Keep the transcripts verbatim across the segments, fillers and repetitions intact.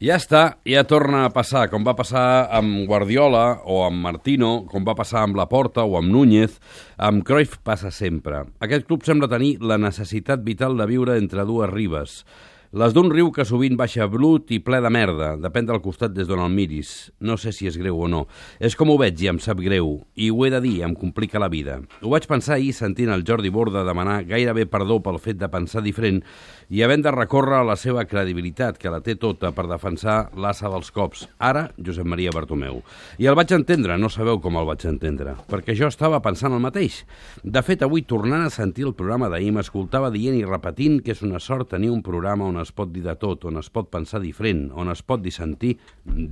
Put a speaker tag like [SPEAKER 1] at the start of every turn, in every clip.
[SPEAKER 1] Ja està, ja torna a passar, com va passar amb Guardiola o amb Martino, com va passar amb Laporta o amb Núñez, amb Cruyff passa sempre. Aquest club sembla tenir la necessitat vital de viure entre dues ribes. Les d'un riu que sovint baixa brut i ple de merda, depèn del costat des d'on el miris. No sé si és greu o no. És com ho veig i em sap greu, i ho he de dir, em complica la vida. Ho vaig pensar ahir sentint el Jordi Borda demanar gairebé perdó pel fet de pensar diferent i havent de recórrer a la seva credibilitat, que la té tota per defensar l'assa dels cops. Ara, Josep Maria Bartomeu. I el vaig entendre, no sabeu com el vaig entendre, perquè jo estava pensant el mateix. De fet, avui, tornant a sentir el programa d'ahir, m'escoltava dient i repetint que és una sort tenir un programa on es pot dir de tot, on es pot pensar diferent, on es pot dissentir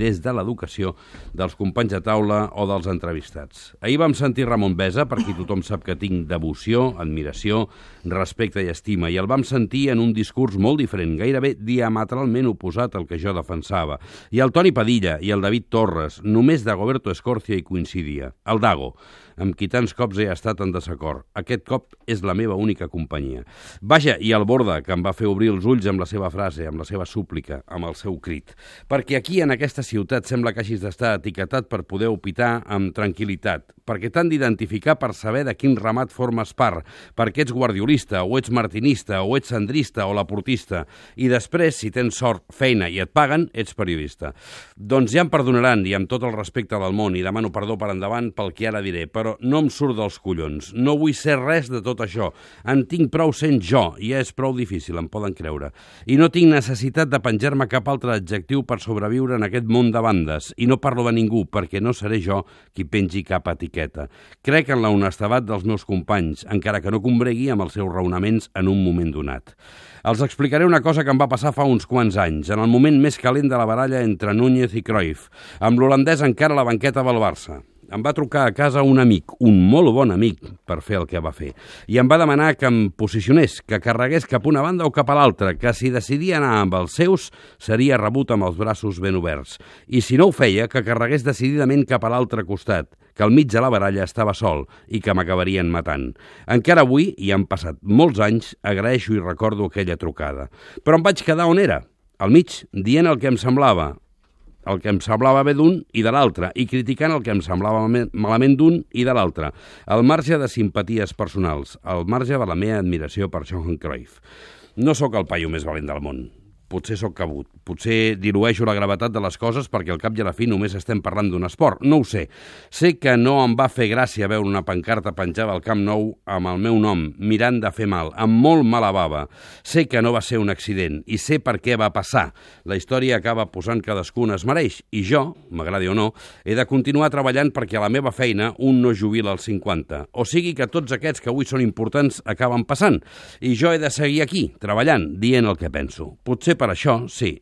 [SPEAKER 1] des de l'educació dels companys de taula o dels entrevistats. Ahir vam sentir Ramon Besa, per qui tothom sap que tinc devoció, admiració, respecte i estima, i el vam sentir en un discurs molt diferent, gairebé diametralment oposat al que jo defensava. I el Toni Padilla i el David Torres, només Dagoberto Escorcia hi coincidia. El Dago, amb qui tants cops he estat en desacord. Aquest cop és la meva única companyia. Vaja, i el Borda, que em va fer obrir els ulls amb la seva frase, amb la seva súplica, amb el seu crit. Perquè aquí, en aquesta ciutat, sembla que hagis d'estar etiquetat per poder opitar amb tranquil·litat, perquè t'han d'identificar per saber de quin ramat formes part, perquè ets guardiolista, o ets martinista, o ets sandrista, o laportista, i després, si tens sort, feina i et paguen, ets periodista. Doncs ja em perdonaran, i amb tot el respecte del món, i demano perdó per endavant pel que ara diré, però no em surt dels collons. No vull ser res de tot això. En tinc prou sent jo, i ja és prou difícil, em poden creure. I no tinc necessitat de penjar-me cap altre adjectiu per sobreviure en aquest món de bandes, i no parlo de ningú, perquè no seré jo qui pengi cap etiqueta. Crec en la honestedat dels meus companys, encara que no combregui amb els seus raonaments en un moment donat. Els explicaré una cosa que em va passar fa uns quants anys, en el moment més calent de la baralla entre Núñez i Cruyff, amb l'holandès encara a la banqueta del Barça. Em va trucar a casa un amic, un molt bon amic, per fer el que va fer. I em va demanar que em posicionés, que carregués cap una banda o cap a l'altra, que si decidia anar amb els seus, seria rebut amb els braços ben oberts. I si no ho feia, que carregués decididament cap a l'altre costat, que al mig de la baralla estava sol i que m'acabarien matant. Encara avui, i han passat molts anys, agraeixo i recordo aquella trucada. Però em vaig quedar on era, al mig, dient el que em semblava, el que em semblava bé d'un i de l'altre, i criticant el que em semblava malament d'un i de l'altre, al marge de simpaties personals, al marge de la meva admiració per Johan Cruyff. No sóc el paio més valent del món. Potser sóc cabut, potser dilueixo la gravetat de les coses perquè al cap i a la fi només estem parlant d'un esport, no ho sé. Sé que no em va fer gràcia veure una pancarta penjada al Camp Nou amb el meu nom, mirant de fer mal, amb molt mala bava. Sé que no va ser un accident i sé per què va passar. La història acaba posant cadascú on es mereix i jo, m'agradi o no, he de continuar treballant perquè a la meva feina un no jubila als cinquanta. O sigui que tots aquests que avui són importants acaben passant i jo he de seguir aquí, treballant, dient el que penso. Potser per això, sí,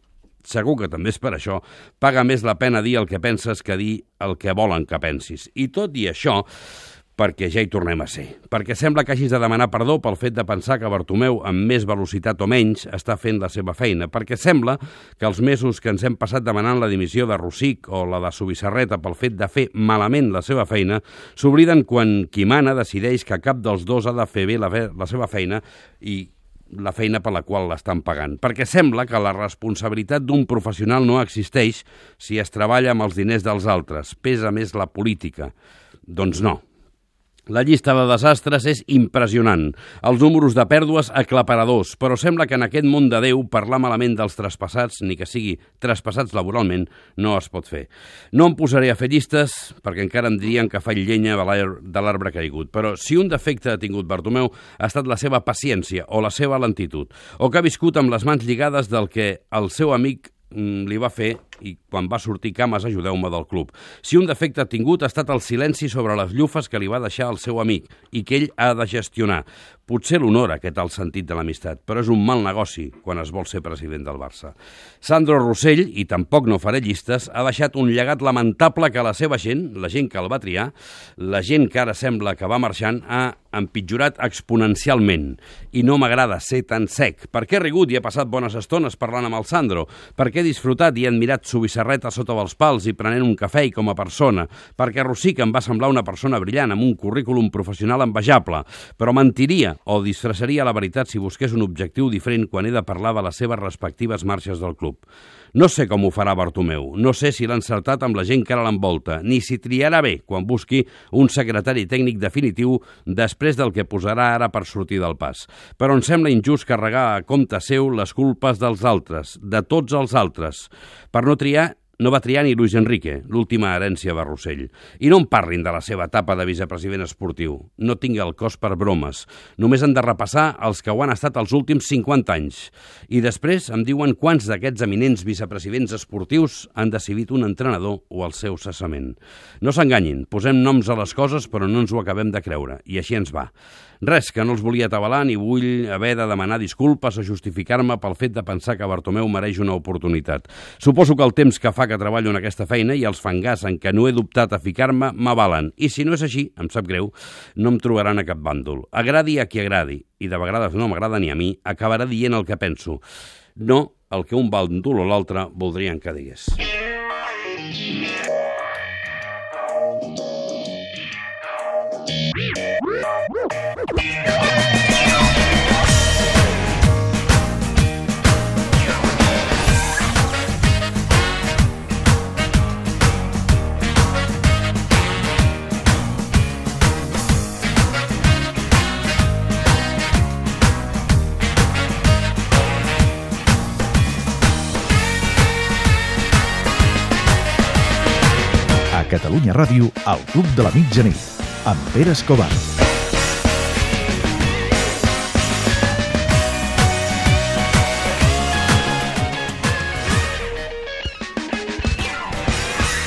[SPEAKER 1] segur que també és per això, paga més la pena dir el que penses que dir el que volen que pensis. I tot i això, perquè ja hi tornem a ser. Perquè sembla que hagis de demanar perdó pel fet de pensar que Bartomeu, amb més velocitat o menys, està fent la seva feina. Perquè sembla que els mesos que ens hem passat demanant la dimissió de Rosic o la de Subisarreta pel fet de fer malament la seva feina, s'obliden quan qui mana decideix que cap dels dos ha de fer bé la, la seva feina i la feina per la qual l'estan pagant. Perquè sembla que la responsabilitat d'un professional no existeix si es treballa amb els diners dels altres. Pesa més la política. Doncs no. La llista de desastres és impressionant. Els números de pèrdues aclaparadors, però sembla que en aquest món de Déu parlar malament dels traspassats, ni que sigui traspassats laboralment, no es pot fer. No em posaré a fer llistes, perquè encara em dirien que faig llenya de l'arbre caigut, però si un defecte ha tingut Bartomeu ha estat la seva paciència o la seva lentitud, o que ha viscut amb les mans lligades del que el seu amic li va fer i quan va sortir cames ajudeu-me del club. Si un defecte ha tingut ha estat el silenci sobre les llufes que li va deixar el seu amic i que ell ha de gestionar. Potser l'honora aquest el sentit de l'amistat, però és un mal negoci quan es vol ser president del Barça. Sandro Rossell, i tampoc no faré llistes, ha deixat un llegat lamentable que la seva gent, la gent que el va triar, la gent que ara sembla que va marxant, ha empitjorat exponencialment. I no m'agrada ser tan sec. Per què he rigut i he passat bones estones parlant amb el Sandro? Per què he disfrutat i he admirat subissarreta sota dels pals i prenent un cafè i com a persona, perquè Rosic em va semblar una persona brillant amb un currículum professional envejable, però mentiria o disfressaria la veritat si busqués un objectiu diferent quan he de parlar de les seves respectives marxes del club. No sé com ho farà Bartomeu, no sé si l'ha encertat amb la gent que ara l'envolta, ni si triarà bé quan busqui un secretari tècnic definitiu després del que posarà ara per sortir del pas. Però em sembla injust carregar a compte seu les culpes dels altres, de tots els altres. Per no triar, no va triar ni Luis Enrique, l'última herència de Rossell. I no em parlin de la seva etapa de vicepresident esportiu. No tingui el cos per bromes. Només han de repassar els que ho han estat els últims cinquanta anys. I després em diuen quants d'aquests eminents vicepresidents esportius han decidit un entrenador o el seu cessament. No s'enganyin, posem noms a les coses però no ens ho acabem de creure. I així ens va. Res, que no els volia atabalar ni vull haver de demanar disculpes o justificar-me pel fet de pensar que Bartomeu mereix una oportunitat. Suposo que el temps que fa que treballo en aquesta feina i els fangars en què no he dubtat a ficar-me m'avalen. I si no és així, em sap greu, no em trobaran a cap bàndol. Agradi a qui agradi, i de vegades no m'agrada ni a mi, acabarà dient el que penso. No el que un bàndol o l'altre voldrien que digués.
[SPEAKER 2] A Catalunya Ràdio, el Club de la Mitjanit, amb Pere Escobar.